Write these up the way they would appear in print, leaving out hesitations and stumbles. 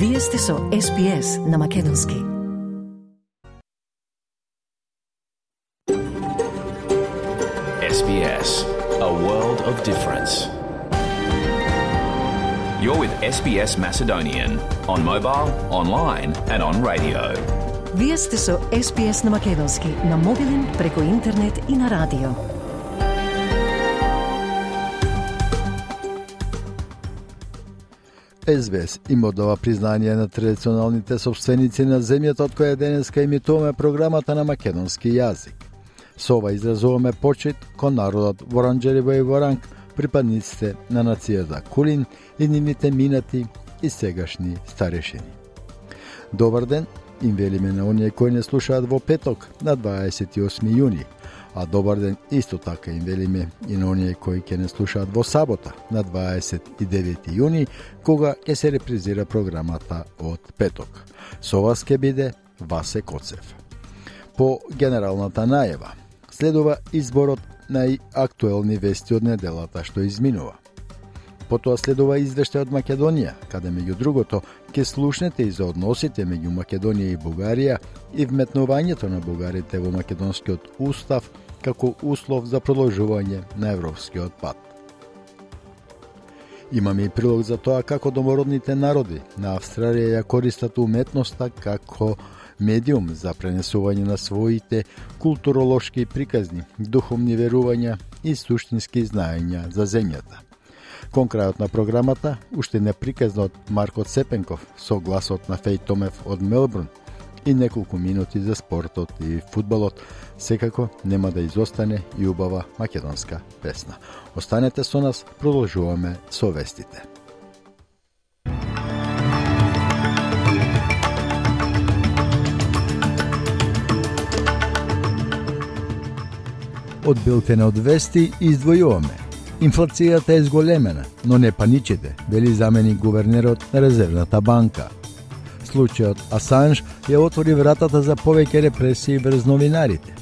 Вие сте со SPS на македонски. SBS, a world of difference. You're with SBS Macedonian on mobile, online and on radio. Вие сте со SPS на македонски на мобилен, преку интернет и на радио. SBS им одава признание на традиционалните собственици на земјата од која денеска емитуваме програмата на македонски јазик. Со ова изразуваме почит кон народот Воранџериво и Воранг, припадниците на нацијата Кулин и нивните минати и сегашни старешини. Добар ден, им велиме на оние кои не слушаат во петок на 28 јуни, а добар ден исто така им велиме и на оние кои ќе не слушаат во сабота на 29 јуни, кога ќе се репризира програмата од петок. Со вас ќе биде Васе Коцев. По генералната најава следува изборот најактуелни вести од неделата што изминува. Потоа следува извештај од Македонија, каде меѓу другото ќе слушнете и за односите меѓу Македонија и Бугарија и вметнувањето на бугарите во македонскиот устав како услов за продолжување на европскиот пат. Имаме и прилог за тоа како домородните народи на Австралија ја користат уметноста како медиум за пренесување на своите културолошки приказни, духовни верувања и суштински знаења за земјата. Кон крајот на програмата, уште неприказно од Марко Цепенков со гласот на Феј Томев од Мелбурн и неколку минути за спортот и фудбалот, секако нема да изостане и убава македонска песна. Останете со нас, продолжуваме со вестите. Од билтена од вести издвојуваме. Инфлацијата е зголемена, но не паничите, вели заменик гувернерот на Резервната банка. Случајот Асанж ја отвори вратата за повеќе репресии врз новинарите.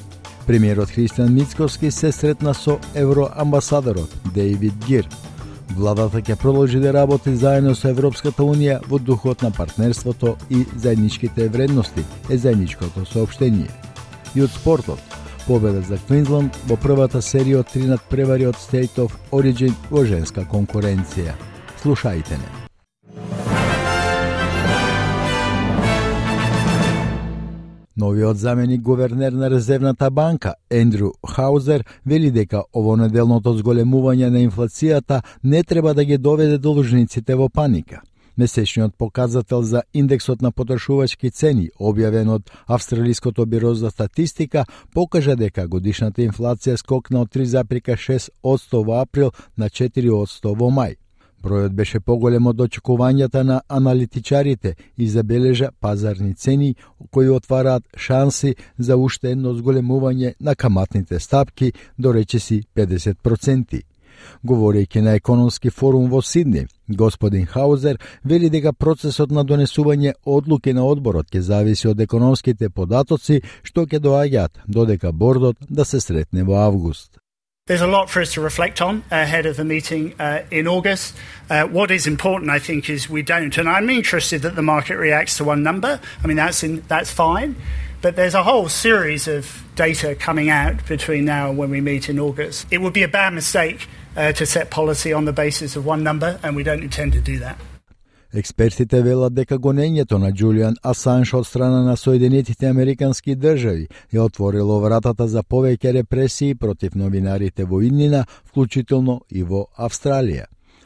Премиерот Христијан Мицкоски се сретна со евроамбасадорот Дейвид Гир. Владата ќе продолжи да работи заедно со Европската унија во духот на партнерството и заедничките вредности, е заедничкото соопштение. И од спортот, победа за Квинсленд во првата серија од 3 надпревари од State of Origin во женска конкуренција. Слушајте не. Новиот заменик гувернер на Резервната банка, Ендрю Хаузер, вели дека овонеделното зголемување на инфлацијата не треба да ги доведе должниците во паника. Месечниот показател за индексот на потрошувачки цени, објавен од Австралиското биро за статистика, покажа дека годишната инфлација скокна од 3,6% во април на 4% во мај. Бројот беше поголем од очекувањата на аналитичарите и забележа пазарни цени кои отвараат шанси за уште едно зголемување на каматните стапки до речиси 50%. Говорејќи на економски форум во Сидни, господин Хаузер вели дека процесот на донесување одлуки на одборот ќе зависи од економските податоци што ќе доаѓаат додека бордот да се сретне во август. There's a lot for us to reflect on ahead of the meeting in August. What is important, I think, is we don't, and I'm interested that the market reacts to one number. I mean, that's fine. But there's a whole series of data coming out between now and when we meet in August. It would be a bad mistake to set policy on the basis of one number, and we don't intend to do that. Експертите велат дека гонењето на Џулијан Асанж од страна на Соединетите Американски држави ја отворило вратата за повеќе репресии против новинарите во иднина, вклучително и во Австралија.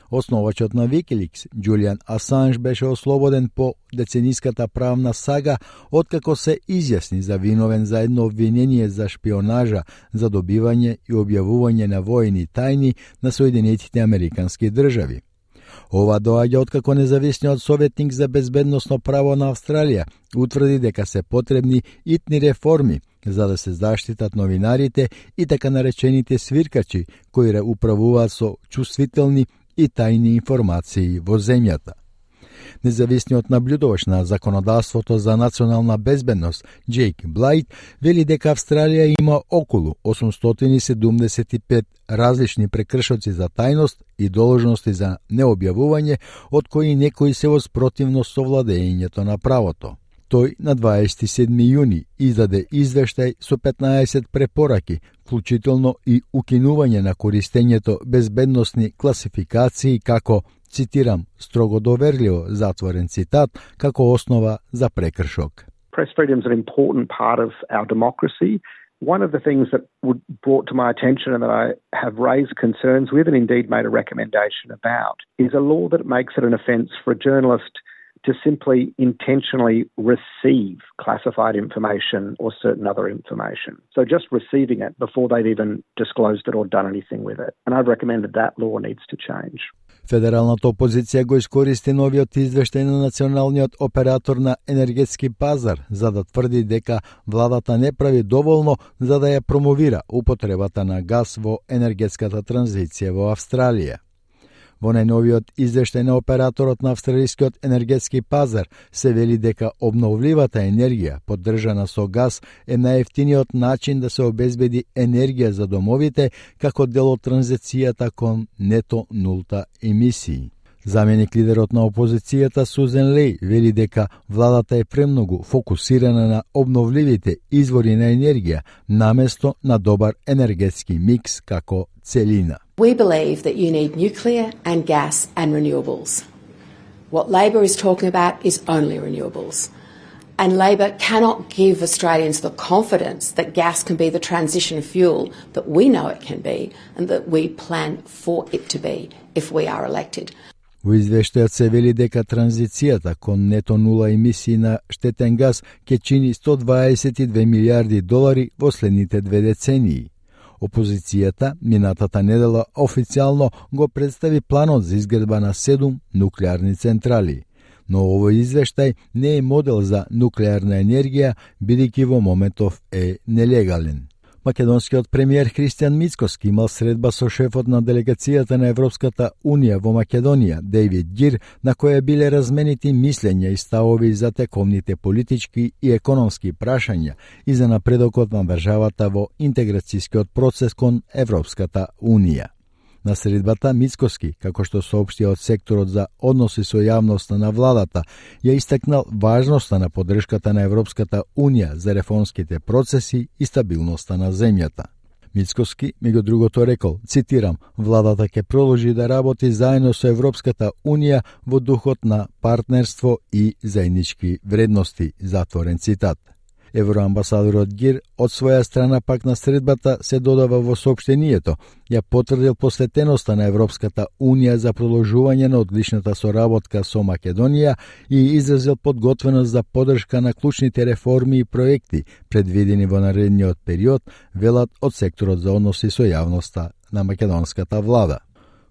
Основачот на Wikileaks, Џулијан Асанж, беше ослободен по децениската правна сага откако се изјасни за виновен за едно обвинение за шпионажа, за добивање и објавување на воени тајни на Соединетите Американски држави. Ова доаѓа откако независниот советник за безбедносно право на Австралија утврди дека се потребни итни реформи за да се заштитат новинарите и така наречените свиркачи кои управуваат со чувствителни и тајни информации во земјата. Независниот наблюдувач на законодавството за национална безбедност, Джейк Блайт, вели дека Австралија има околу 875 различни прекршоци за тајност и должности за необјавување, од кои некои се во спротивност со владењето на правото. Тој на 27 јуни издаде извештај со 15 препораки, вклучително и укинување на користењето безбедносни класификации како, цитирам, строго доверливо, затворен цитат, како основа за прекршок. Press freedom is an important part of our democracy. One of the things that brought to my attention and that I have raised concerns with and indeed made a recommendation about is a law that makes it an offence for a journalist to simply intentionally receive classified information or certain other information. So just receiving it before they've even disclosed it or done anything with it. And I've recommended that law needs to change. Федералната опозиција го искористи новиот извештај на националниот оператор на енергетски пазар за да тврди дека владата не прави доволно за да ја промовира употребата на газ во енергетската транзиција во Австралија. Во најновиот извештај на операторот на австралискиот енергетски пазар се вели дека обновливата енергија, поддржана со газ, е најевтиниот начин да се обезбеди енергија за домовите како дел од транзицијата кон нето нулта емисии. Заменик лидерот на опозицијата Сузен Леј вели дека владата е премногу фокусирана на обновливите извори на енергија наместо на добар енергетски микс како целина. We believe that you need nuclear and gas and renewables. What Labor is talking about is only renewables. And Labor cannot give Australians the confidence that gas can be the transition fuel that we know it can be and that we plan for it to be if we are elected. Во извештајот се вели дека транзицијата кон нето нула емисии на штетен газ ќе чини $122 милиарди во следните 2 децении. Опозицијата минатата недела официјално го представи планот за изградба на 7 нуклеарни централи. Но овој извештај не е модел за нуклеарна енергија, бидејќи во моментов е нелегален. Македонскиот премиер Христијан Мицкоски имал средба со шефот на делегацијата на Европската Унија во Македонија, Дейвид Гир, на која биле разменити мислења и ставови за тековните политички и економски прашања и за напредокот на државата во интеграцијскиот процес кон Европската Унија. На средбата Мицкоски, како што соопшти од секторот за односи со јавноста на владата, ја истакнал важноста на поддршката на Европската Унија за реформските процеси и стабилноста на земјата. Мицкоски, меѓу другото рекол, цитирам, владата ќе продолжи да работи заедно со Европската Унија во духот на партнерство и заеднички вредности, затворен цитат. Евроамбасадорот Гир од своја страна пак на средбата се додава во соопштението, ја потврдил посветеноста на Европската Унија за продолжување на одличната соработка со Македонија и изразил подготвеност за поддршка на клучните реформи и проекти предвидени во наредниот период, велат од секторот за односи со јавноста на македонската влада.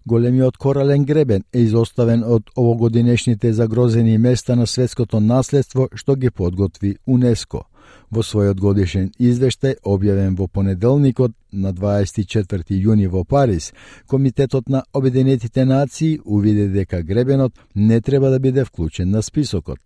Големиот корален гребен е изоставен од овогодинешните загрозени места на светското наследство што ги подготви УНЕСКО. Во својот годишен извештај, објавен во понеделникот на 24 јуни во Париз, Комитетот на Обединетите нации увиде дека гребенот не треба да биде вклучен на списокот.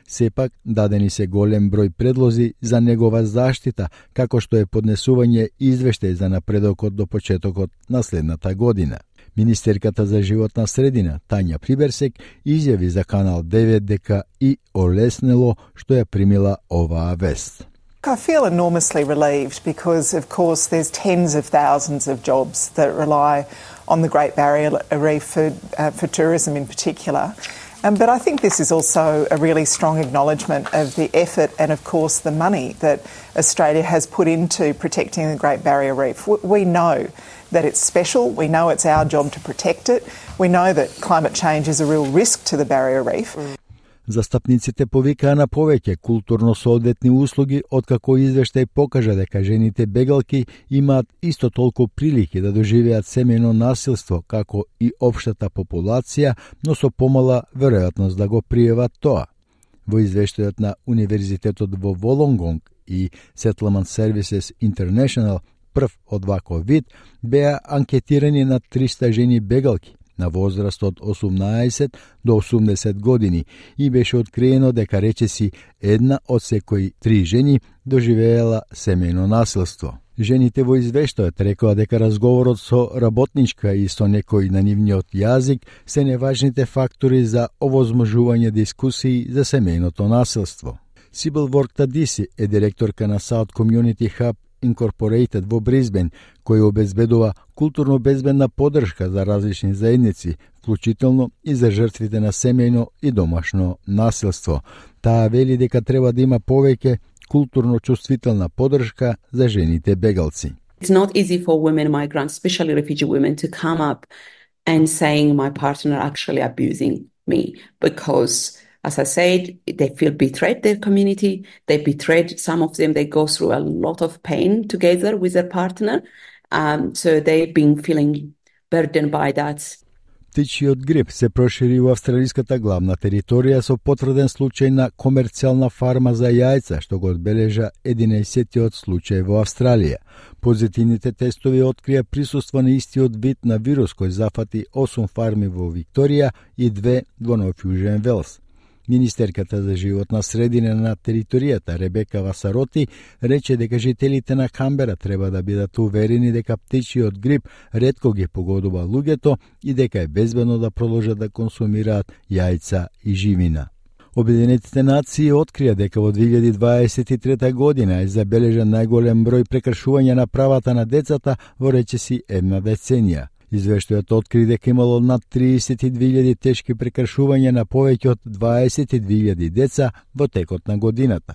Сепак, дадени се голем број предлози за негова заштита, како што е поднесување извештај за напредокот до почетокот на следната година. Министерката за животна средина, Тања Приберсек, изјави за Канал 9 дека и олеснело што ја примила оваа вест. I feel enormously relieved because, of course, there's tens of thousands of jobs that rely on the Great Barrier Reef for tourism in particular. But I think this is also a really strong acknowledgement of the effort and, of course, the money that Australia has put into protecting the Great Barrier Reef. We know that it's special. We know it's our job to protect it. We know that climate change is a real risk to the Barrier Reef. Застапниците повикаа на повеќе културно-соодветни услуги, откако извештај покажа дека жените бегалки имаат исто толку прилики да доживеат семејно насилство како и општата популација, но со помала веројатност да го пријават тоа. Во извештајот на Универзитетот во Волонгонг и Settlement Services International, прв од ваков вид, беа анкетирани на 300 жени бегалки, на возраст од 18 до 80 години и беше откриено дека речиси 1 од секои 3 жени доживеела семејно насилство. Жените во извештајот рекоа дека разговорот со работничка и со некој на нивниот јазик се неважните фактори за овозможување дискусии за семејното насилство. Сибил Ворк-Тадиси е директорка на South Community Hub Incorporated во Бризбен, кој обезбедува културно безбедна поддршка за различни заедници, вклучително и за жртвите на семејно и домашно насилство. Таа вели дека треба да има повеќе културно чувствителна поддршка за жените бегалци. It's not easy for women migrants, especially refugee women, to come up and saying my partner actually abusing me because, as I said, they feel betrayed their community. They betrayed some of them. They go through a lot of pain together with their partner. So they've been feeling burdened by that. Птичиот грип се прошири во австралиската главна територија со потврден случај на комерцијална фарма за јајца, што го одбележа 11-тиот случај во Австралија. Позитивните тестови открија присуство на истиот вид на вирус кој зафати 8 фарми во Викторија и 2 во Нов Јужен Велс. Министерката за животна средина на територијата Ребека Васароти рече дека жителите на Камбера треба да бидат уверени дека птичиот грип ретко ги погодува луѓето и дека е безбедно да продолжат да консумираат јајца и живина. Обединетите нации открија дека во 2023 година е забележан најголем број прекршувања на правата на децата во речиси една деценија. Извештајот откри дека имало над 32.000 тешки прекршувања на повеќе од 22.000 деца во текот на годината.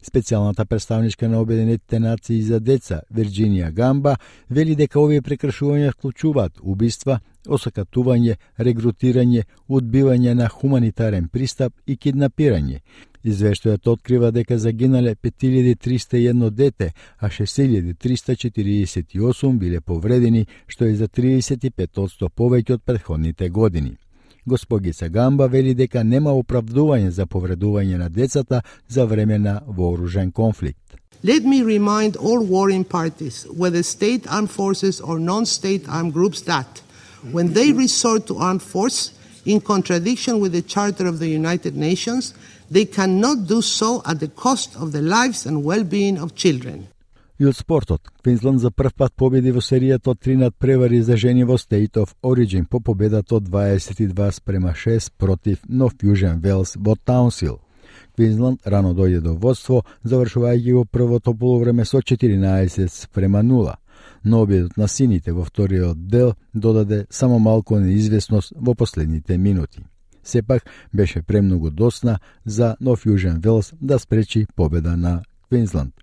Специјалната представничка на Обединетите нации за деца, Вирџинија Гамба, вели дека овие прекршувања вклучуваат убиства, осакатување, регрутирање, одбивање на хуманитарен пристап и киднапирање. Извештајот открива дека загинале 5301 дете, а 6348 биле повредени, што е за 35% повеќе од претходните години. Госпогица Гамба вели дека нема оправдување за повредување на децата за време на вооружен конфликт. Let me remind all warring parties, whether state armed forces or non-state armed groups, that when they resort to armed force, in contradiction with the Charter of the United Nations, they cannot do so at the cost of the lives and well-being of children. И од спортот, Квинсланд за прв пат победи во серијата од 3 надпревари за жени во State of Origin по победата од 22-6 против Нов Јужен Велс во Таунсил. Квинсланд рано дојде до водство, завршувајќи го првото полувреме со 14-0. Но обидот на сините во вториот дел додаде само малку неизвестност во последните минути. Сепак беше премногу досна за Нов Јужен Велс да спречи победа на Квинсланд.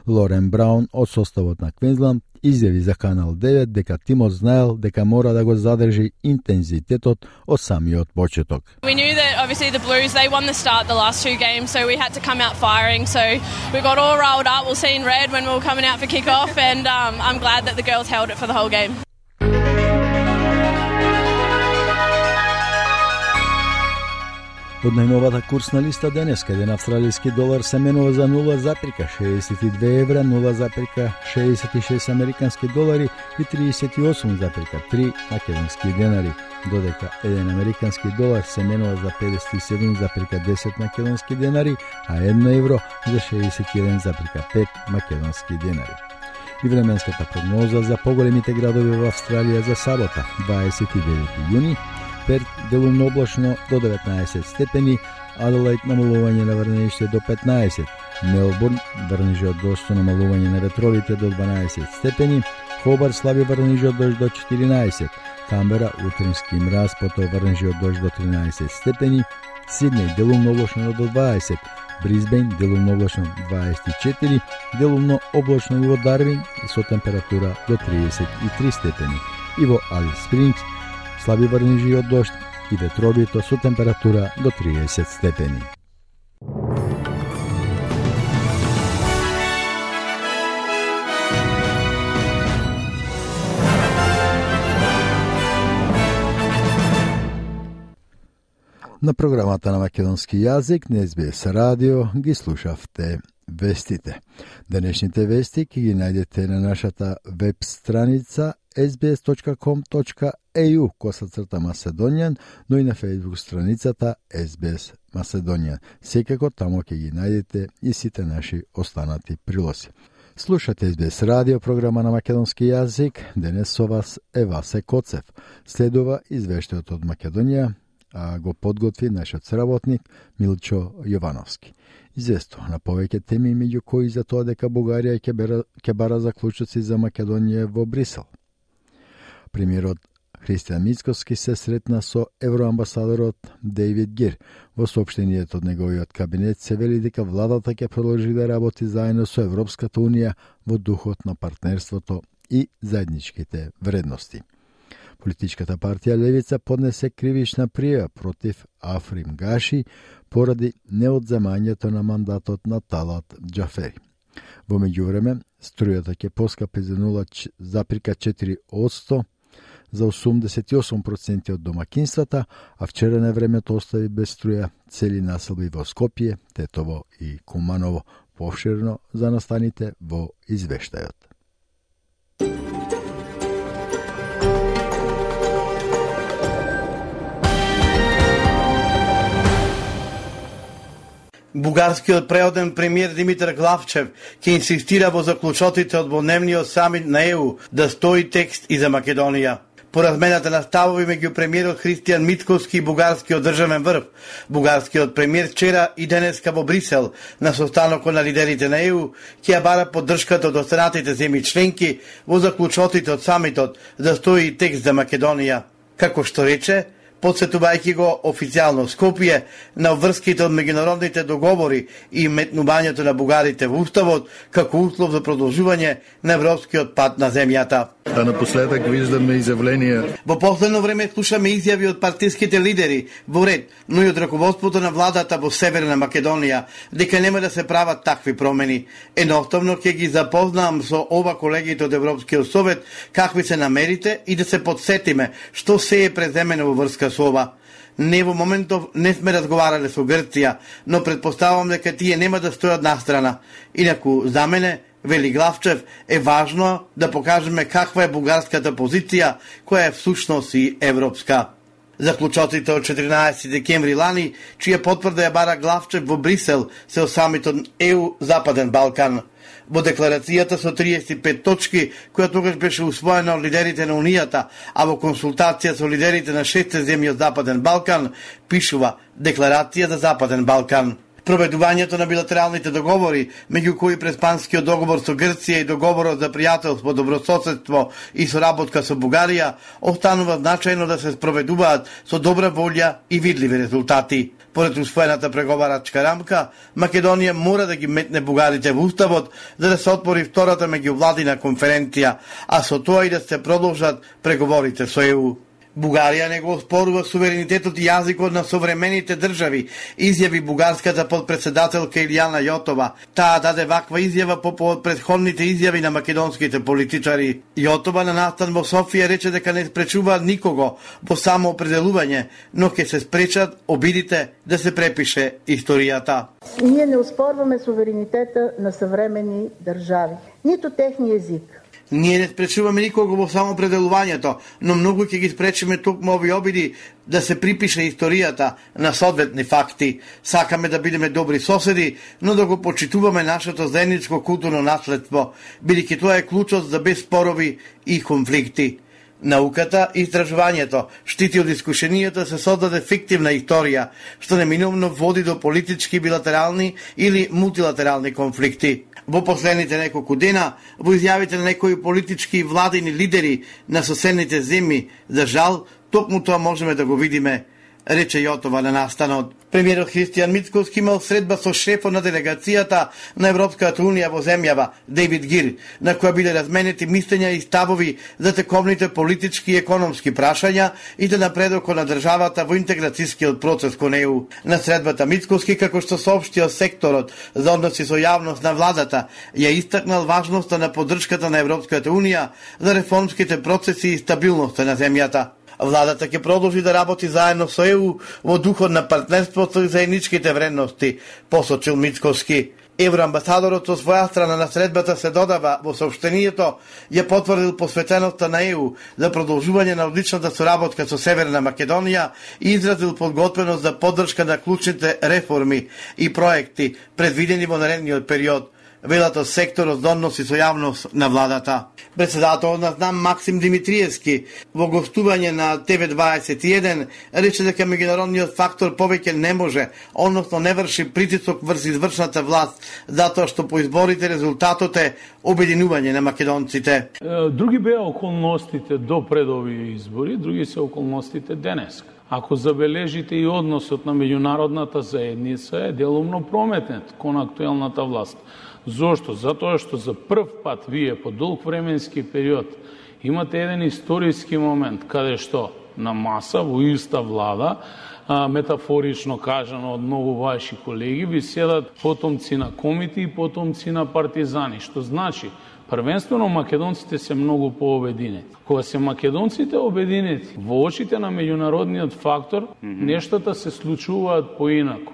Лорен Браун од составот на Квинсланд изјави за Канал 9 дека тимот знаел дека мора да го задржи интензитетот од самиот почеток. We knew that obviously the Blues, they won the start the last 2 games, so we had to come out firing. So we got all rolled up. We'll see in red when we were coming out for kick-off, and I'm glad that the girls held it for the whole game. Од најновата курсна листа денеска, еден австралиски долар се менува за 0,62 евра, 0,66 американски долари и 38,3 македонски денари, додека еден американски долар се менува за 57,10 македонски денари, а 1 евро за 61,5 македонски денари. И временската прогноза за поголемите градови во Австралија за сабота, 29 јуни, Перт делумно облачно до 19 степени, Аделаид намалување на врнежите до 15, Мелбурн врнежи од дожд намалување на ветровите до 12 степени, Хобар слаби врнежи од дожд до 14, Камбера утрински мраз, потоа врнежи од дожд до 13 степени, Сиднеј делумно облачно до 20, Бризбен делумно облачно 24, делумно облачно и во Дарвин со температура до 33 степени, и во Алис Спрингс слаби врнежи од дожд и ветровито со температура до 30 степени. На програмата на македонски јазик на СБС радио ги слушавте вестите. Денешните вести ќе ги најдете на нашата веб страница sbs.com.au/Macedonian, но и на Facebook страницата SBS Macedonian. Секако тамо ќе ги најдете и сите наши останати прилози. Слушате SBS радио, програма на македонски јазик. Денес со вас е Васе Коцев. Следува извештајот од Македонија, а го подготви нашиот сработник Милчо Јовановски. Известува на повеќе теми, меѓу кои за тоа дека Бугарија ќе бара заклучоци за Македонија во Брисел. Премиерот Христијан Мицкоски се сретна со евроамбасадорот Дейвид Гир. Во соопштението од неговиот кабинет се вели дека владата ќе продолжи да работи заедно со Европската унија во духот на партнерството и заедничките вредности. Политичката партија Левица поднесе кривична пријава против Африм Гаши поради неодземањето на мандатот на Талат Џафери. Во меѓувреме, струјата ќе поскапи за 0,4% за 88% од домакинствата, а вчера на времето остави без струја цели населби во Скопје, Тетово и Куманово. Повширно за настаните во извештајот. Бугарскиот преоден премиер Димитар Главчев ќе инсистира во заклучоците од дводневниот самит на ЕУ да стои текст и за Македонија. По размената на ставови меѓу премиерот Христијан Мицкоски и бугарскиот државен врв, бугарскиот премиер вчера и денеска во Брисел на состанокот на лидерите на ЕУ ќе ја бара поддршката од останатите земји членки во заклучоците од самитот да стои текст за Македонија. Како што рече, подсетувајќи го официјално Скопје на врските од меѓународните договори и метнувањето на бугарите во уставот како услов за продолжување на европскиот пат на земјата. А напоследок виждаме изјавленија. Во последно време слушаме изјави од партиските лидери во ред, но и од раководството на владата во Северна Македонија дека нема да се прават такви промени. Едноставно ќе ги запознавам со ова колегите од Европскиот совет какви се намерите и да се подсетиме што се е преземено во врска со ова. Не во моментов не сме разговарале со Грција, но предпоставам дека тие нема да стојат настрана. Инаку за мене, вели Главчев, е важно да покажеме каква е бугарската позиција, која е всушност и европска. Заклучоците од 14 декември лани, чија потврда ја бара Главчев во Брисел, се од самитот ЕУ Западен Балкан. Во декларацијата со 35 точки, која тогаш беше усвоена од лидерите на Унијата, а во консултација со лидерите на 6 земји од Западен Балкан, пишува Декларација за Западен Балкан. Проведувањето на билатералните договори, меѓу кои Преспанскиот договор со Грција и договорот за пријателство, добрососедство и соработка со Бугарија, останува значајно да се спроведуваат со добра волја и видливи резултати. Поред усвоената преговарачка рамка, Македонија мора да ги метне бугарите во уставот за да се отвори втората меѓувладина конференција, а со тоа и да се продолжат преговорите со ЕУ. Бугарија не го оспорува суверенитетот и јазикот на современите држави, изјави бугарската подпредседателка Илјана Јотова. Таа даде ваква изјава по повод претходните изјави на македонските политичари. Јотова на настан во Софија рече дека не спречува никого во самоопределување, но ќе се спречат обидите да се препише историјата. Ние не оспорваме суверенитета на современи држави, ниту техниот език. Ние не спречуваме никого во самоопределувањето, но многу ќе ги спречиме токму овие обиди да се припише историјата на соодветни факти. Сакаме да бидеме добри соседи, но да го почитуваме нашето заедничко културно наследство, бидејќи тоа е клучот за без спорови и конфликти. Науката и истражувањето штити од искушенијата се создаде фиктивна историја, што неминувно води до политички билатерални или мултилатерални конфликти. Во последните неколку дена, во изјавите на некои политички и владини лидери на соседните земји, за жал, токму тоа можеме да го видиме, рече Јотова на настанот. Премиерот Христијан Мицкоски имал средба со шефот на делегацијата на Европската унија во земјава, Дейвид Гир, на која биле разменети мислења и ставови за тековните политички и економски прашања и за напредокот на државата во интеграцијскиот процес кон ЕУ. На средбата Мицкоски, како што соопштио секторот за односи со јавност на владата, ја истакнал важноста на поддршката на Европската унија за реформските процеси и стабилноста на земјата. Владата ќе продолжи да работи заедно со ЕУ во духот на партнерството и заедничките вредности, посочил Мицкоски. Евроамбасадорот со своја страна на средбата се додава во соопштението ја потврдил посветеноста на ЕУ за продолжување на одличната соработка со Северна Македонија и изразил подготвеност за поддршка на клучните реформи и проекти предвидени во наредниот период, велат од секторот за односи со јавност на владата. Председателот на ЗНАМ Максим Димитриевски во гостување на ТВ21 рече дека меѓународниот фактор повеќе не може, односно не врши притисок врз извршната власт, затоа што по изборите резултатот е обединување на македонците. Други беа околностите до пред овие избори, други се околностите денес. Ако забележите и односот на меѓународната заедница е делумно прометнет кон актуелната власт. Зошто? Затоа што за прв пат вие по долг временски период имате еден историски момент каде што на маса во иста влада, метафорично кажано од многу ваши колеги, ви седат потомци на комити и потомци на партизани, што значи првенствено македонците се многу пообединети. Кога се македонците обединети во очите на меѓународниот фактор, нештата се случуваат поинаку.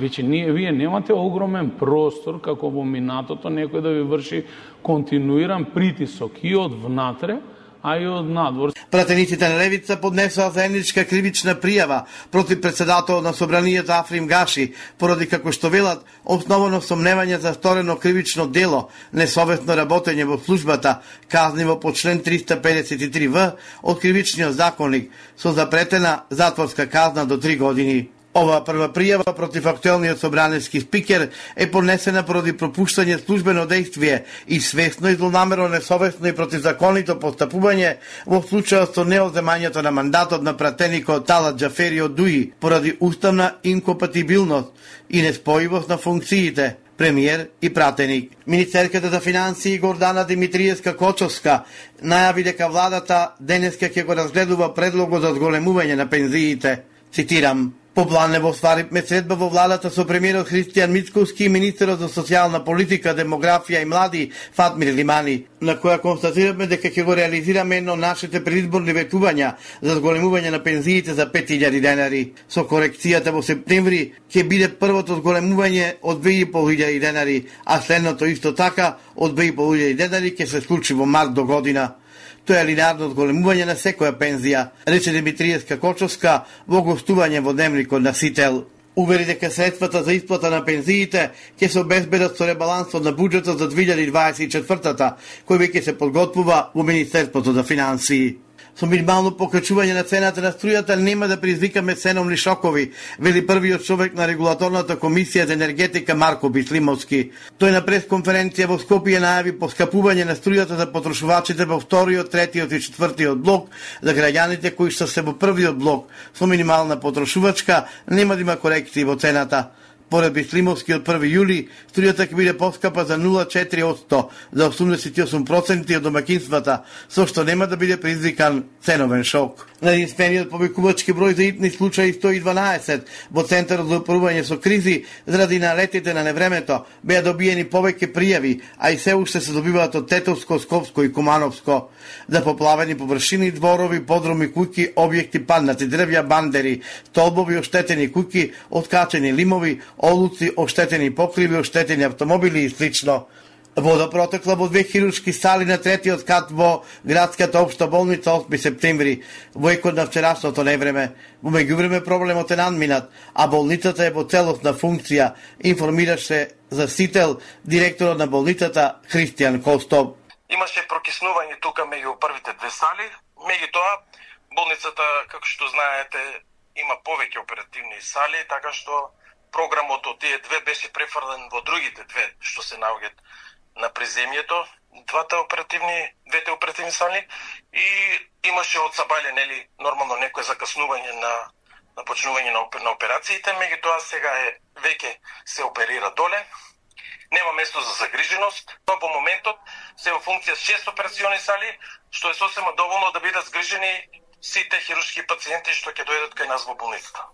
Вие немате огромен простор како во минатото некој да ви врши континуиран притисок и од внатре, а и од надвор. Пратениците на левица поднесоа заедничка кривична пријава против председател на собранието Африм Гаши, поради како што велат основано сомневање за сторено кривично дело, несовесно работење во службата, казниво по член 353В од кривичниот законник со запретена затворска казна до 3 години. Ова прва пријава против актуелниот собранески спикер е поднесена поради пропуштање службено дејствие и свесно и злонамерно, несовесно и противзаконито постапување во случајот со неоземањето на мандатот на пратеникот Талат Џафери од ДУИ поради уставна инкомпатибилност и неспојивост на функциите премиер и пратеник. Министерката за финансии Гордана Димитриевска-Кочовска најави дека владата денеска ќе го разгледува предлогот за зголемување на пензиите. Цитирам: по план во стваривме средба во владата со премиерот Христијан Мицковски и министерот за социјална политика, демографија и млади Фатмир Лимани, на која констатираме дека ќе го реализираме едно нашите предизборни ветувања за зголемување на пензиите за 5000 денари. Со корекцијата во септември ќе биде првото зголемување од 2500 денари, а следното исто така од 2500 денари ќе се случи во март до година. Тоа е линеарно зголемување на секоја пензија, рече Димитриевска-Кочовска во гостување во дневникот на Сител. Увери дека средствата за исплата на пензиите ќе се обезбедат со ребалансот на буџетот за 2024-та, кој веќе се подготвува во Министерството за финансии. Со минимално покачување на цената на струјата нема да предизвикаме ценовни шокови, вели првиот човек на регулаторната комисија за енергетика Марко Бислимовски. Тој на пресконференција во Скопје најави поскапување на струјата за потрошувачите во вториот, третиот и четвртиот блок, за граѓаните кои што се во првиот блок со минимална потрошувачка нема да има корекции во цената. Поред Бислимовски од 1 јули, струјата ќе биде поскапа за 0,4% за 88% од домакинствата, со што нема да биде предизвикан ценовен шок. На единствениот повикувачки број за итни случаи 112 во Центарот за управување со кризи заради налетите на невремето беа добиени повеќе пријави, а и се уште се добиваат од Тетовско, Скопско и Кумановско. За поплавени површини, дворови, подруми, куќи, објекти паднати дрвја, бандери, столбови, оштетени куќи, откачени лимови, олуци, оштетени покриви, оштетени автомобили и слично. Вода протекла во 2 хируршки сали на третиот кат во градската општа болница 8 септември, во екот на вчерашното невреме. Во меѓувреме проблемот е надминат, а болницата е во целосна функција, информираше за Сител директорот на болницата Христијан Костов. Имаше прокиснување тука меѓу првите две сали, меѓутоа болницата, како што знаете, има повеќе оперативни сали, така што програмот од тие две беше префрлен во другите две што се наоѓаат на приземјето, двете оперативни сали, и имаше од сабајле нормално некое закаснување на почнување на операциите, меѓутоа сега веќе се оперира доле. Нема место за загриженост. Во моментот се во функција 6 операциони сали, што е сосема доволно да бидат згрижени сите хируршки пациенти што ќе дојдат кај нас во болницата.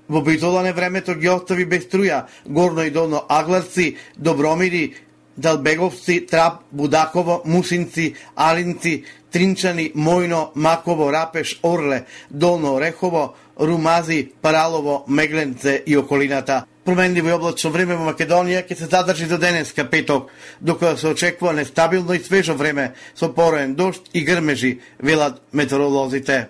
Во Битола времето ги остави без струја Горно и Долно Агларци, Добромири, Далбеговци, Трап, Будаково, Мусинци, Алинци, Тринчани, Мојно, Маково, Рапеш, Орле, Долно Орехово, Румази, Паралово, Мегленце и околината. Променливо и облачно време во Македонија ќе се задржи до денеска петок, докато се очекува нестабилно и свежо време со пороен дожд и грмежи, велат метеоролозите.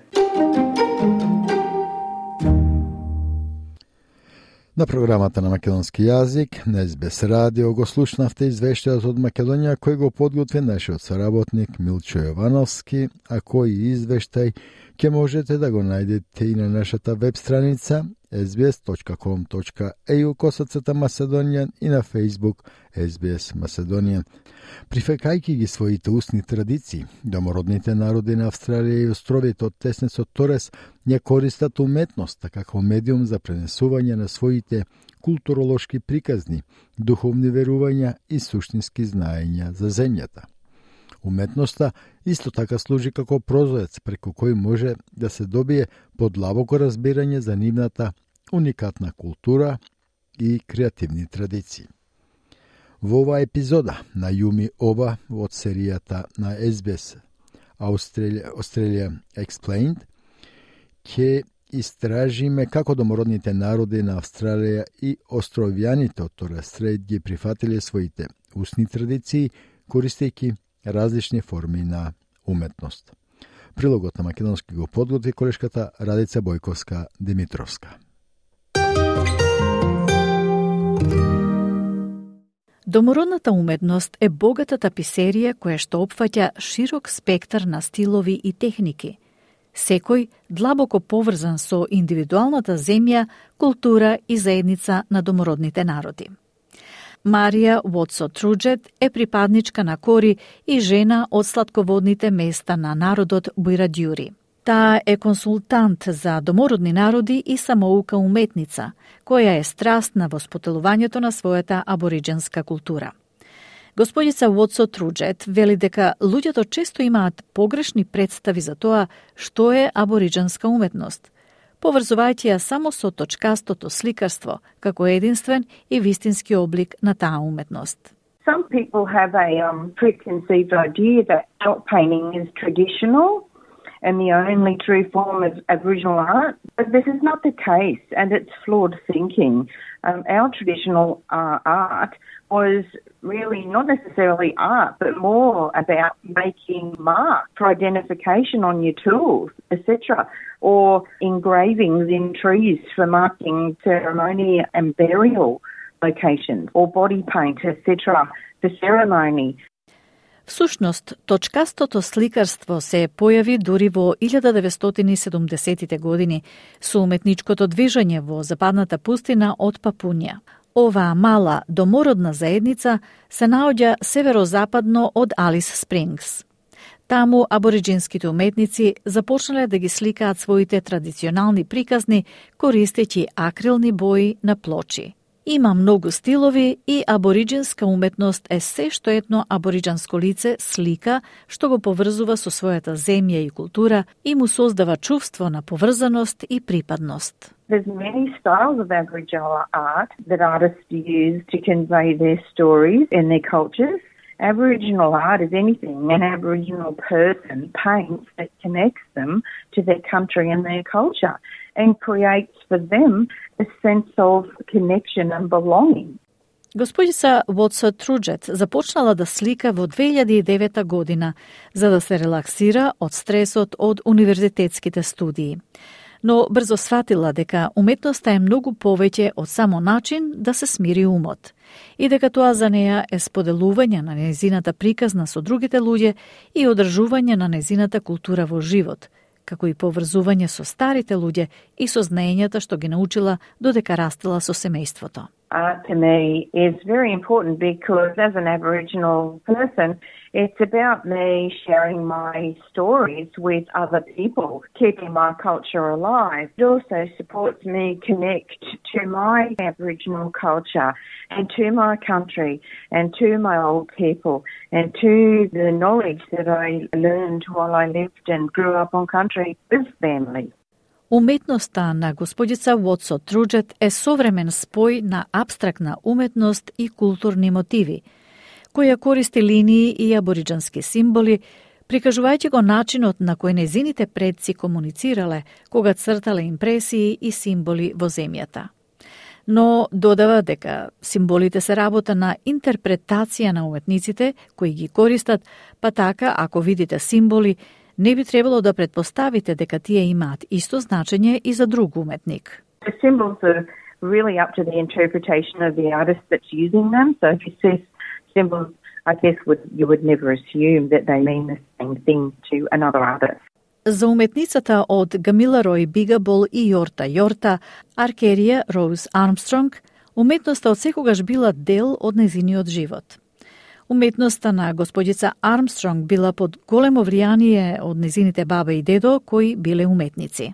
На програмата на македонски јазик на СБС радио го слушнавте извештајот од Македонија кој го подготви нашиот соработник Милчо Јовановски, а кој извештај ќе можете да го најдете и на нашата веб страница sbs.com.au/Macedonian и на Facebook SBS Macedonian. Прифекајќи ги своите устни традиции, домородните народи на Австралија и островите од теснецот Торес ја користат уметноста како медиум за пренесување на своите културолошки приказни, духовни верувања и суштински знаења за земјата. Уметноста исто така служи како прозорец преку кој може да се добие подлабоко разбирање за нивната уникатна култура и креативни традиции. Во оваа епизода на Јуми Оба од серијата на SBS Australia Explained ќе истражиме како домородните народи на Австралија и островјаните од Торес Стрейт ги прифатиле своите устни традиции користејќи различни форми на уметност. Прилогот на македонски го подготви колешката Радица Бојковска-Димитровска. Домородната уметност е богата таписерија која што опфаќа широк спектар на стилови и техники, секој длабоко поврзан со индивидуалната земја, култура и заедница на домородните народи. Марија Уотсо-Труџет е припадничка на кори и жена од слатководните места на народот Буирадјури. Таа е консултант за домородни народи и самоука уметница, која е страстна во спотелувањето на својата абориџенска култура. Господица Уотсо-Труџет вели дека луѓето често имаат погрешни представи за тоа што е абориџенска уметност, поврзувајќи ја само со точкастото сликарство како единствен и вистински облик на таа уметност. Some people have a preconceived idea that dot painting is traditional and the only true form of Aboriginal art, but this is not the case, and it's flawed thinking. Our traditional art was really not necessarily art, but more about making marks for identification on your tools, etc., or engravings in trees for marking ceremony and burial locations, or body paint, etc., for ceremony. Всушност, точкастото сликарство се појави дури во 1970-тите години со уметничкото движење во западната пустина од Папунја. Оваа мала домородна заедница се наоѓа северозападно од Алис Спрингс. Таму абориџинските уметници започнале да ги сликаат своите традиционални приказни користејќи акрилни бои на плочи. Има многу стилови и абориџинска уметност е се што етно абориџанско лице слика што го поврзува со својата земја и култура и му создава чувство на поврзаност и припадност. There's many styles of Aboriginal art that artists use to convey their stories and their cultures. Aboriginal art is anything an Aboriginal person paints that connects them to their country and their culture and creates for them a sense of connection and belonging. Господица Уотсо-Труџет започнала да слика во 2009 година за да се релаксира од стресот од универзитетските студии. Но брзо сватила дека уметноста е многу повеќе од само начин да се смири умот и дека тоа за неа е споделување на нејзината приказна со другите луѓе и одржување на нејзината култура во живот, како и поврзување со старите луѓе и со знаењата што ги научила додека растела со семејството. Art to me is very important because as an Aboriginal person, it's about me sharing my stories with other people, keeping my culture alive. It also supports me connect to my Aboriginal culture and to my country and to my old people and to the knowledge that I learned while I lived and grew up on country with family. Уметноста на господица Уотсо-Труџет е современ спој на апстрактна уметност и културни мотиви, која користи линии и абориџански символи, прикажувајќи го начинот на кој незините предци комуницирале кога цртале импресии и символи во земјата. но додава дека символите се работа на интерпретација на уметниците кои ги користат, па така, ако видите символи, не би требало да предпоставите дека тие имаат исто значење и за друг уметник. The symbols are really up to the interpretation of the artist that's using them. So if you see symbols, I guess you would never assume that they mean the same thing to another artist. За уметницата од Гамиларој Бигабол и Јорта Јорта, Аркерија Роуз Армстронг, уметноста од секогаш била дел од незиниот живот. Уметноста на господица Армстронг била под големо влијание од незините баба и дедо, кои биле уметници.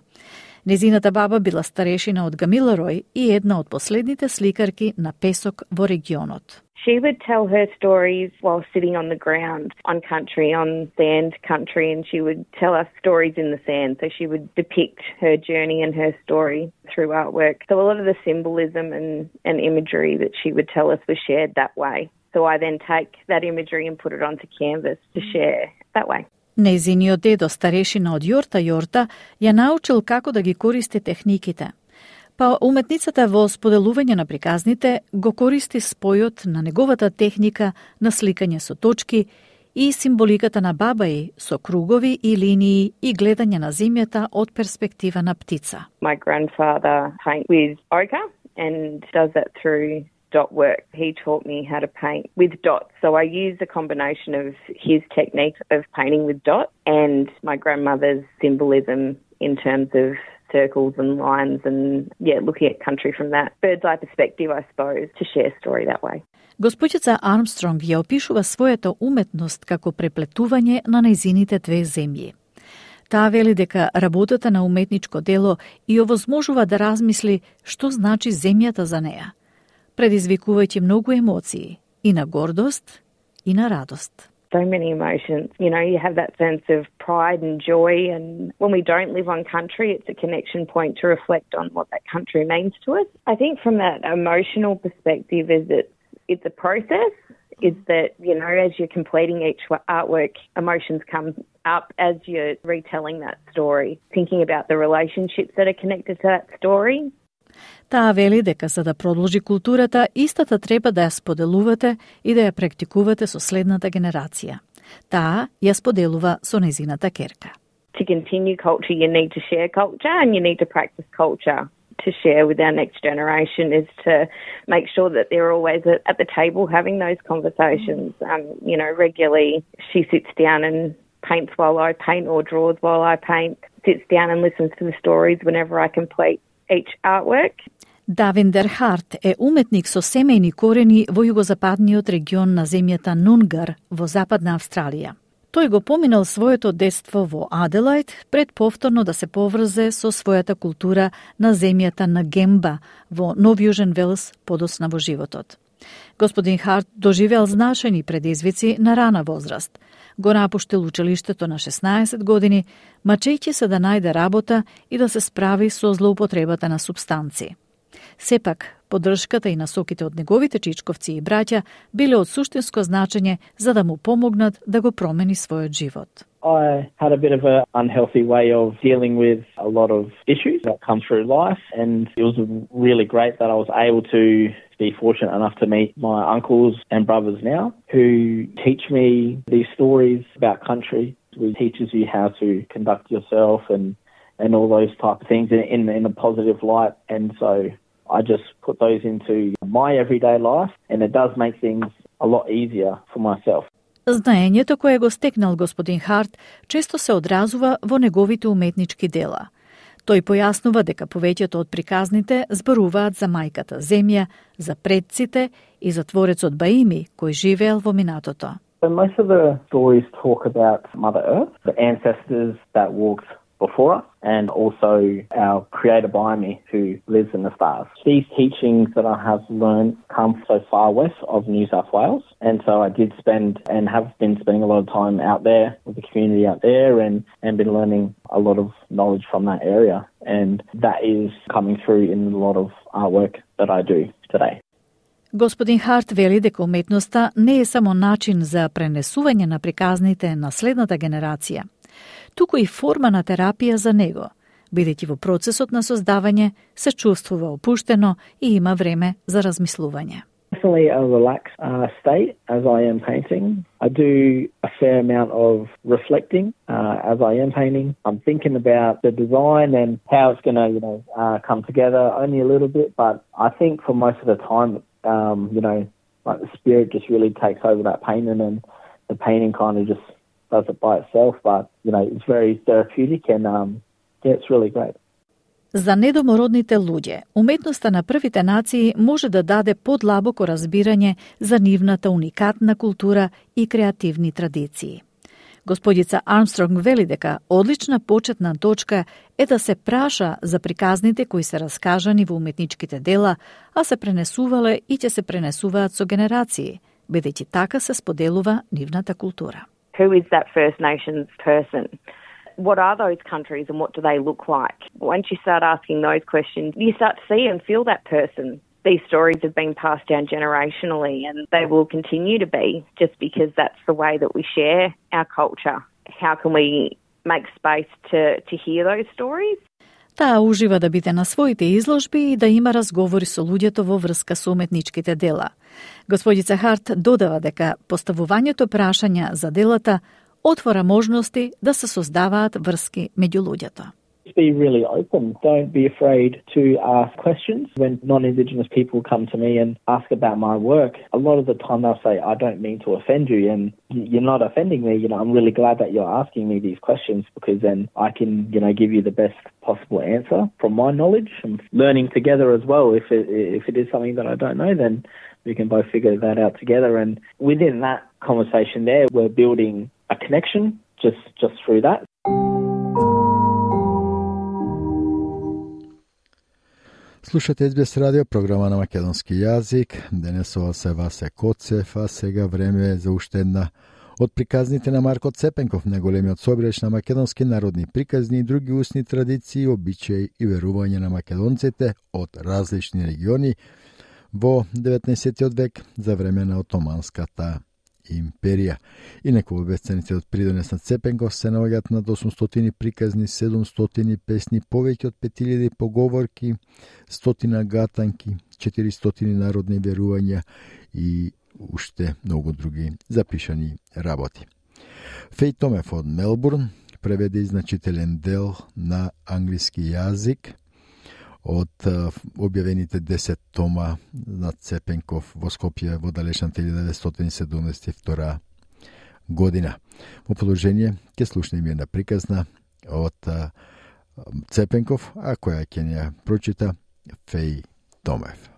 Незината баба била старешина од Гамиларој и една од последните сликарки на песок во регионот. She would tell her stories while sitting on the ground on sand country, and she would tell us stories in the sand. So she would depict her journey and her story through artwork. So a lot of the symbolism and imagery that she would tell us was shared that way. So I then take that imagery and put it onto canvas to share that way. Незиниот дедо, старешина од Јорта Јорта, ја научил како да ги користи техниките. Па уметницата во споделување на приказните го користи спојот на неговата техника на сликање со точки и символиката на баба и со кругови и линии и гледање на земјата од перспектива на птица. My grandfather paints with ochre and does that through dot work. He taught me how to paint with dots. So I use a combination of his technique of painting with dots and my grandmother's symbolism in terms of circles and lines and, looking at country from that bird's eye perspective, I suppose, to share story that way. Госпоđица Армстронг ја опишува својата уметност како преплетување на нејзините две земји. Таа вели дека работата на уметничко дело и овозможува да размисли што значи земјата за неа, предизвикувајќи многу емоции, и на гордост, и на радост. So many emotions. You know, you have that sense of pride and joy, and when we don't live on country, it's a connection point to reflect on what that country means to us. I think from that emotional perspective is that it's a process, is that, as you're completing each artwork, emotions come up as you're retelling that story, thinking about the relationships that are connected to that story. Таа вели дека за да продолжи културата, истата треба да ја споделувате и да ја практикувате со следната генерација. Таа ја споделува со незината керка. To continue culture, you need to share culture and you need to practice culture. To share with our next generation is to make sure that they're always at the table having those conversations. Regularly she sits down and paints while I paint or draws while I paint, sits down and listens to the stories whenever I complete each artwork. Давиндер Харт е уметник со семејни корени во југозападниот регион на земјата Нунгар во Западна Австралија. Тој го поминал своето детство во Аделајд пред повторно да се поврзе со својата култура на земјата на Гемба во Нов Јужен Велс подосна во животот. Господин Харт доживеал значајни предизвици на рана возраст. Го напуштил училиштето на 16 години, мачејќи се да најде работа и да се справи со злоупотребата на супстанци. Сепак, поддршката и насоките од неговите чичковци и браќа биле од суштинско значење за да му помогнат да го промени својот живот. I had a bit of an unhealthy way of dealing with a lot of issues that come through life, and it was really great that I was able to be fortunate enough to meet my uncles and brothers now who teach me these stories about country. It teaches you how to conduct yourself and all those type of things in a positive light, and so I just put those into my everyday life, and it does make things a lot easier for myself. Знаењето кое го стекнал господин Харт често се одразува во неговите уметнички дела. Тој појаснува дека повеќето од приказните зборуваат за мајката земја, за предците и за творецот Баими кој живеел во минатото. So most of the stories talk about Mother Earth, the ancestors that walked before us, and also our creator Baiami who lives in the stars. These teachings that I have learned come so far west of New South Wales, and so I did spend and have been spending a lot of time out there with the community out there and been learning a lot of knowledge from that area, and that is coming through in a lot of artwork that I do today. Господин Харт вели дека уметноста не е само начин за пренесување на приказните на следната генерација, туку и форма на терапија за него, бидејќи во процесот на создавање се чувствува опуштено и има време за размислување. Definitely a relaxed state as I am painting. I do a fair amount of reflecting as I am painting. I'm thinking about the design and how it's going to, come together only a little bit. But I think for most of the time, like the spirit just really takes over that painting, and the painting kind of just does it by itself. But it's very therapeutic, and it's really great. За недомородните луѓе, уметноста на првите нации може да даде подлабоко разбирање за нивната уникатна култура и креативни традиции. Господица Армстронг вели дека одлична почетна точка е да се праша за приказните кои се раскажани во уметничките дела, а се пренесувале и ќе се пренесуваат со генерации, бидејќи така се споделува нивната култура. Who is that First Nations person? What are those countries and what do they look like? Once you start asking those questions, you start to see and feel that person. These stories have been passed down generationally, and they will continue to be, just because that's the way that we share our culture. How can we make space to hear those stories? Таа ужива да биде на своите изложби и да има разговори со луѓето во врска со уметничките дела. Господица Харт додава дека поставувањето прашања за делата отвора можности да се создаваат врски меѓу луѓето. Be really open. Don't be afraid to ask questions. When non-Indigenous people come to me and ask about my work, a lot of the time they'll say, I don't mean to offend you, and you're not offending me. I'm really glad that you're asking me these questions, because then I can, give you the best possible answer from my knowledge, and learning together as well. If it is something that I don't know, then we can both figure that out together. And within that conversation there, we're building a connection just through that. Слушате SBS радио, програма на македонски јазик. Денесова се Васе Коцев, а сега време е за уште една од приказните на Марко Цепенков, најголемиот собирач на македонски народни приказни и други устни традиции, обичаи и верувања на македонците од различни региони во 19. век за време на Отоманската империја. Инаку во бесценици од придонес на Цепенков се наоѓаат над 800 приказни, 700 песни, повеќе од 5000 поговорки, 100 гатанки, 400 народни верувања и уште многу други запишани работи. Феј Томев од Мелбурн преведе значителен дел на англиски јазик од објавените 10 тома на Цепенков во Скопје во далечната 1972 година. Во продолжение ќе слушнеме една приказна од Цепенков, а која ќе ја прочита Феј Томев.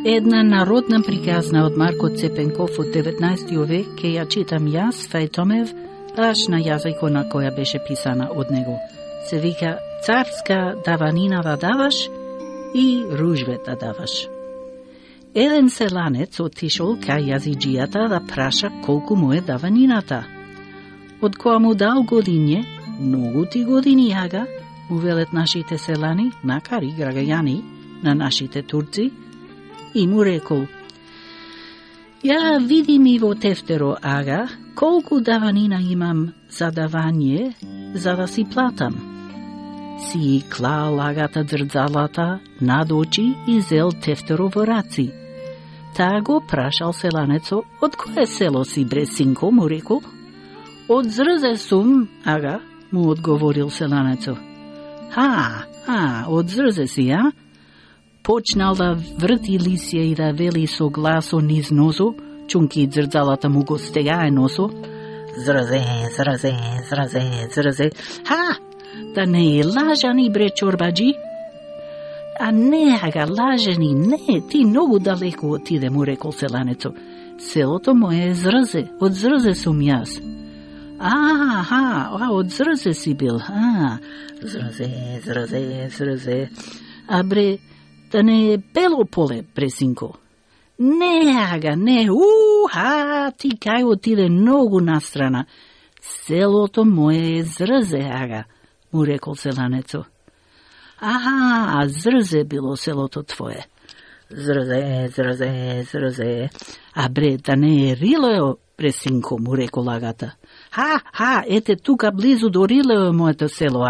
Една народна приказна од Марко Цепенков од 19 век ке ја читам јас, Феј Томев, аш на јазикот на која беше писана од него. Се вика Царска даванина да даваш и ружве да даваш. Еден селанец отишол кај јазиџијата да праша колку му е даванината. Од која му дал годиње, многу ти години јага, му велет нашите селани, накари граѓани на нашите турци, и му рекол: ја види ми во тефтеро, ага, колку даванина имам за давање, за да си платам. Си клал агата дрдзалата над очи и зел тефтеро во раци. Таа го прашал селанецо: од кое село си, бре синко, му рекол. Од Зрзе сум, ага, му одговорил селанецо. Од Зрзе си, а? Почнал да врти лисија и да вели со гласо низ носо, чунки дрдзалата му го стегае носо. Зрзе, зрзе, зрзе, зрзе. Да не е лажани, бре чорбаджи? А не, ага, лажани, не, ти многу далеко отиде, му рекол селанецо. селото мое е Зрзе, од Зрзе сум јас. Од Зрзе си бил. Зрзе. А бре, да не е Бело поле, бресинко. Не, ти кај отиде многу настрана. Селото мое е Зрзе, му рекол селанецо. Зрзе било селото твое. Зрзе. А бре, да не е Рилео, бресинко, му рекол агата. Ете тука близу до Рилео е моето село,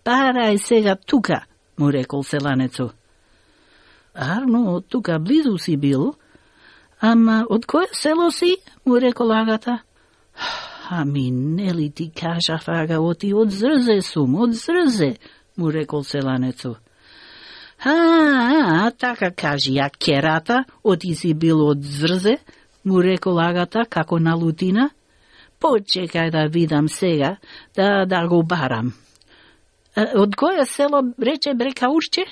Парај сега тука, му рекол селанецо. Арно, тука близу си бил. Ама, од кое село си? Му рекол агата. Нели ти кажав, оти од Зрзе сум, од Зрзе, му рекол селанецо. Така кажи, керата, оти си бил од Зрзе, му рекол агата, како на лутина. Почекај да видам сега, да го барам. Од кое село рече Брекаушче?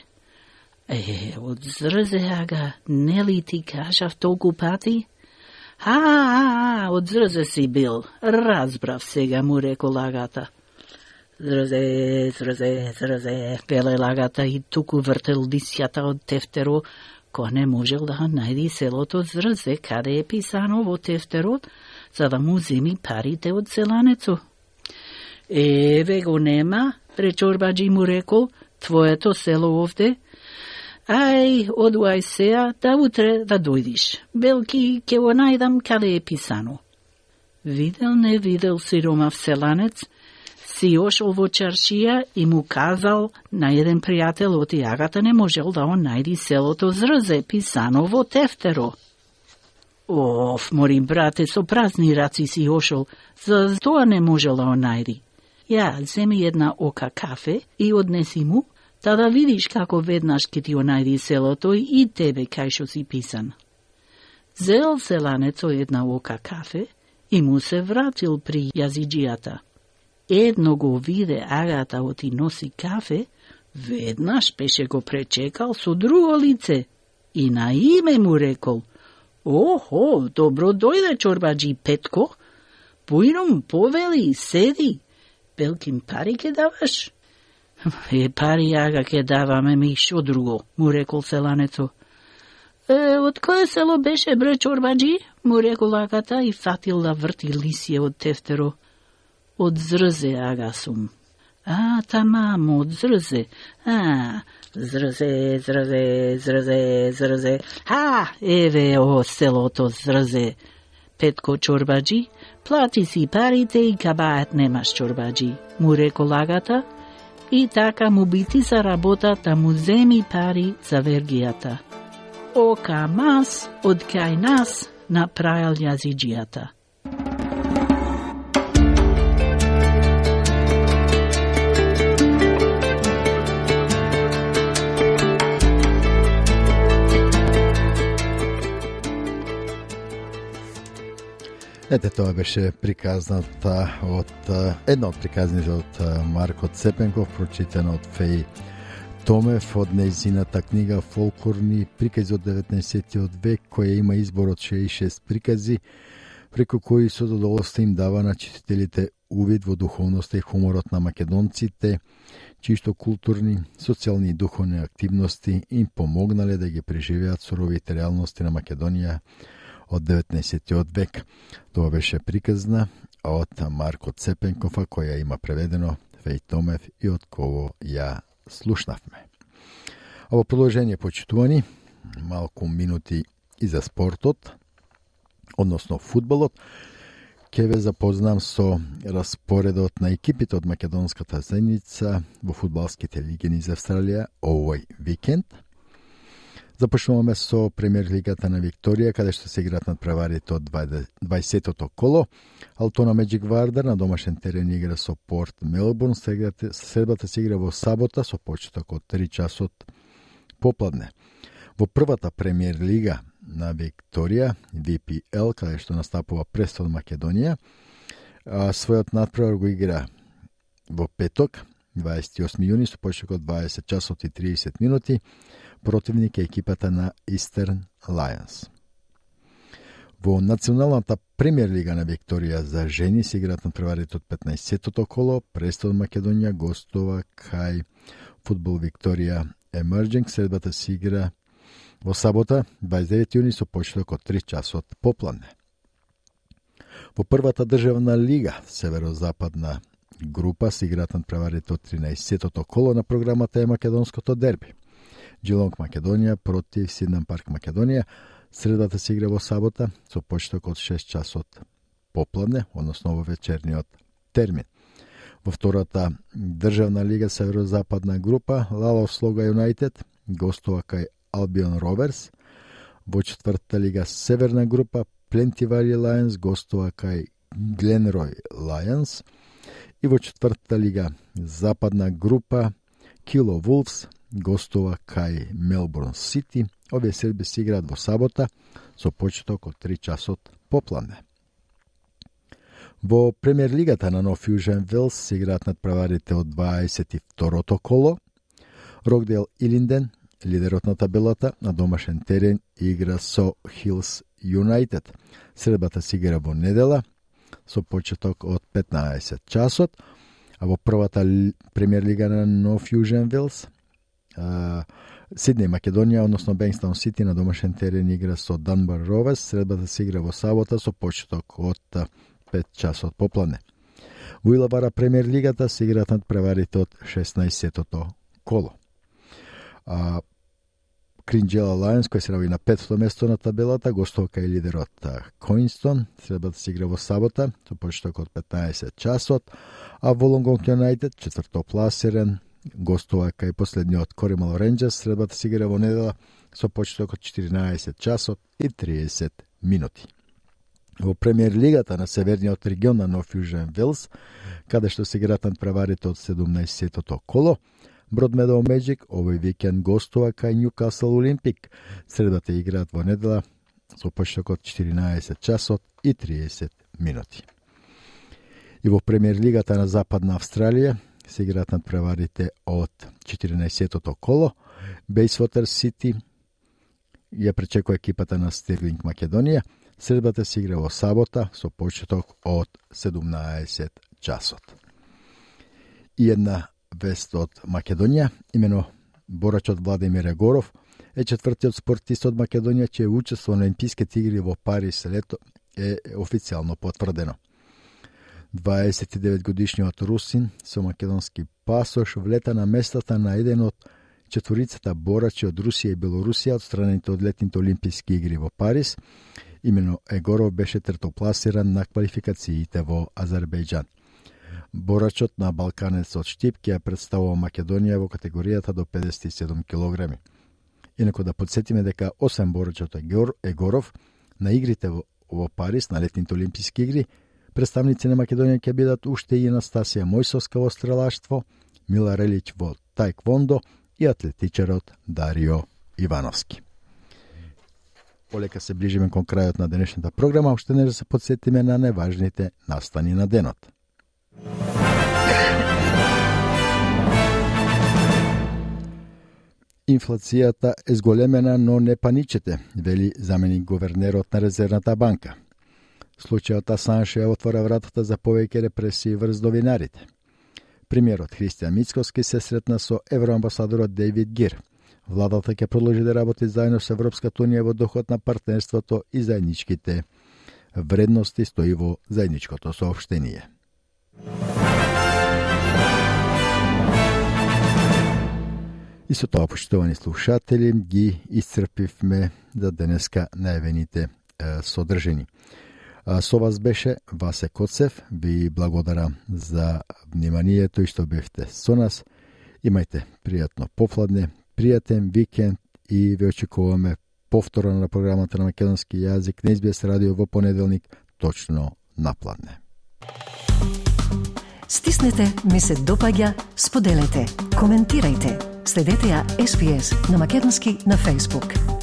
Од Зрзе, нели ти кажав толку пати? Од Зрзе си бил, разбрав сега, му рекол агата. Зрзе, велел агата и туку вртел лисјата од тефтеро, кој не можел да најди селото Зрзе, каде е писано во тефтерот, за да му земи парите од селанецо. Еве го нема, пречорбаджи му рекол, твоето село овде. Одуај сеа, да утре да дојдиш. Белки, ке го најдам каде е писано. Видел не видел сиромав селанец, си ошол во чаршија и му казал на еден пријател оти агата не можел да он најди селото Зрзе, писано во тефтеро. Морим брате, со празни раци си ошол, за тоа не можел да он најди. Ја, земи една ока кафе и однеси му, да видиш како веднаш ке ти најди селото и тебе кај шо си писан. Зел селанецо една ока кафе и му се вратил при јазиджијата. Едно го виде агата оти носи кафе, веднаш беше го пречекал со друго лице и на име му рекол: добро дојде чорбаджи Петко, појном повели, седи, белким пари ке даваш? Пари ага ке даваме, ми шо друго, му рекол селанецо. Од кое село беше бре чорбаджи? Му рекол агата и фатил да врти лисје од тефтеро. Од Зрзе ага сум. Тамам, од Зрзе. Зрзе. Еве селото Зрзе. Петко чорбаджи, плати си парите и кабајат немаш чорбаджи, му рекол агата, и така му бити за работа да му земи пари за вергијата. Ока мас, од кај нас, направил јазиджијата. Ете, тоа беше приказната една од приказните од Марко Цепенков, прочитана од Феј Томев од нејзината книга Фолклорни прикази од 19. век, која има избор од 66 прикази, преку кои со задоволство им дава на читателите увид во духовноста и хуморот на македонците, чишто културни, социјални и духовни активности им помогнале да ги преживеат суровите реалности на Македонија од 19. век. Тоа беше приказна од Марко Цепенкова, која има преведено Феј Томев и од кого ја слушнавме. Ово продолжение, почитувани, малку минути и за спортот, односно фудбалот. Ке ве запознам со распоредот на екипите од македонската заедница во фудбалските лиги низ Австралија овој викенд. Започнуваме со премиер лигата на Викторија, каде што се играат надпреварите од 20-тото коло. Алтона Меджик Вардар на домашен терен игра со Порт Мелбурн. Средбата се игра во сабота со почеток од 3 часот попладне. Во првата премиер лига на Викторија, VPL, каде што настапува Престон Македонија, својот надпревар го игра во петок, 28 јуни, со почеток од 20 часот и 30 минути. Противник е екипата на Eastern Lions. Во националната премиер лига на Викторија за жени се играат на преварите од 15-тото коло. Престон Македонија гостува кај Фудбал Викторија Емерджинг. Средбата се игра во сабота, 29 јуни, со почеток од 3 часот попладне. Во првата државна лига, северозападна група, се играат на преварите од 13-тото коло. На програмата е македонското дерби. Джилонг Македонија против Сиднам Парк Македонија. Средата се игра во сабота со почеток од 6 часот попладне, односно во вечерниот термин. Во втората државна лига северозападна група Лалов Слога Юнайтед гостува кај Албион Роверс. Во четвртата лига северна група Пленти Вали Лајонс гостува кај Гленрој Лајонс. И во четвртата лига западна група Кило Вулфс гостува кај Мелбурн Сити. Овие средби се играат во сабота со почеток од 3 часот попладне. Во премиер лигата на Нов Јужен Велс се играат надпреварите од 22-то коло. Рокдейл Илинден, лидерот на табелата, на домашен терен игра со Хилс Юнайтед. Средбата се игра во недела со почеток од 15 часот, а во првата премиер лига на Нов Јужен Велс Сиднеј Македонија, односно Бенкстаун Сити, на домашен терен игра со Данбар Роверс. Средбата се игра во сабота со почеток од 5 часот попладне. Во Илабара премиер лигата се играат надпреварите од 16-тото коло. Кринџела Лајонс, кој се наоѓа на 5-то место на табелата, гостува кај лидерот Коинстон. Средбата се игра во сабота со почеток од 15 часот, а Волонгонг Юнайтед, четвртопласиран, гостува кај последниот Коримал Ренџерс. Средбата се игра во недела со почеток од 14 часот и 30 минути. Во премиер лигата на северниот регион на Нов Јужен Велс, каде што се играат надпреварите од 17-тото коло, Бродмедоу Меджик овој викенд гостува кај Нјукасл Олимпик. Средбата играат во недела со почеток од 14 часот и 30 минути. И во премиер лигата на Западна Австралија се играат надпреварите од 14-тото коло. Бейсвотер Сити ја пречекува екипата на Стирлинг Македонија. Средбата се игра во сабота со почеток од 17 часот. И една вест од Македонија, имено борачот Владимир Егоров е четвртиот спортист од Македонија че учествува на Олимписките игри во Париз лето, е официјално потврдено. 29 годишниот русин со македонски пасош влета на местата на еден од четворицата борачи од Русија и Белорусија одстранените од летните Олимписки игри во Париз. Имено Егоров беше третопласиран на квалификациите во Азербејџан. Борачот на балканецот Штип ќе ја представува Македонија во категоријата до 57 килограми. Инаку да подсетиме дека освен борачот Егоров на игрите во Париз на летните Олимписки игри, представници на Македонија ќе бидат уште и Анастасија Мојсовска во стрелаштво, Мила Релич во таеквондо и атлетичарот Дарио Ивановски. Полека се ближиме кон крајот на денешната програма, уште не да се подсетиме на неважните настани на денот. Инфлацијата е зголемена, но не паничете, вели заменик гувернерот на Резервната банка. Случајот Асанж ја отвора вратата за повеќе репресии врз новинарите. Премиерот Христијан Мицкоски се сретна со евроамбасадорот Дејвид Гир. Владата ќе продолжи да работи заедно со Европската унија во духот на партнерството и заедничките вредности, стои во заедничкото соопштение. И со тоа, поштовани слушатели, ги исцрпивме за денеска најавените содржини. Со вас беше Васе Коцев. Ви благодарам за вниманието и што бевте со нас. Имајте пријатно попладне, пријатен викенд и ве очекуваме повторно на програмата на македонски јазик на SBS радио во понеделник точно на пладне. Стиснете, ми се допаѓа, споделете, коментирајте. Следете ја SBS на македонски на Facebook.